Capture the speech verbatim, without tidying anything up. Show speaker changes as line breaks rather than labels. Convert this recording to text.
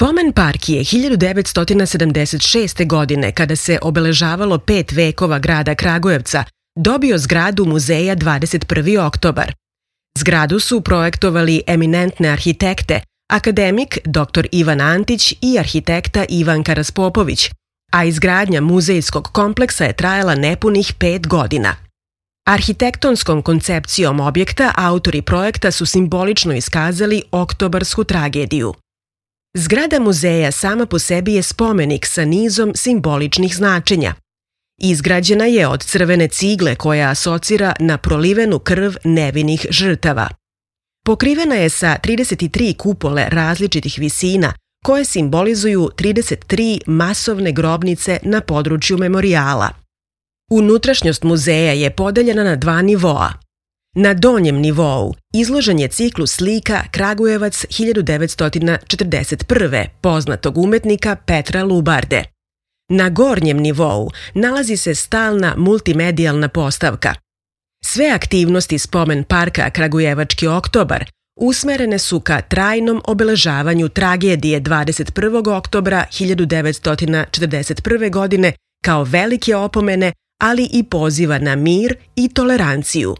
Spomen park je hiljadu devetsto sedamdeset šeste. godine, kada se obeležavalo pet vekova grada Kragujevca, dobio zgradu muzeja dvadeset prvi oktobar. Zgradu su projektovali eminentne arhitekte, akademik doktor Ivan Antić i arhitekta Ivanka Raspopović, a izgradnja muzejskog kompleksa je trajala nepunih pet godina. Arhitektonskom koncepcijom objekta autori projekta su simbolično iskazali oktobarsku tragediju. Zgrada muzeja sama po sebi je spomenik sa nizom simboličnih značenja. Izgrađena je od crvene cigle koja asocira na prolivenu krv nevinih žrtava. Pokrivena je sa trideset tri kupole različitih visina koje simbolizuju trideset tri masovne grobnice na području memorijala. Unutrašnjost muzeja je podeljena na dva nivoa. Na donjem nivou izložen je ciklus slika Kragujevac hiljadu devetsto četrdeset prve. poznatog umetnika Petra Lubarde. Na gornjem nivou nalazi se stalna multimedijalna postavka. Sve aktivnosti Spomen parka Kragujevački oktobar usmerene su ka trajnom obeležavanju tragedije dvadeset prvog oktobra hiljadu devetsto četrdeset prve. godine kao velike opomene, ali i poziva na mir i toleranciju.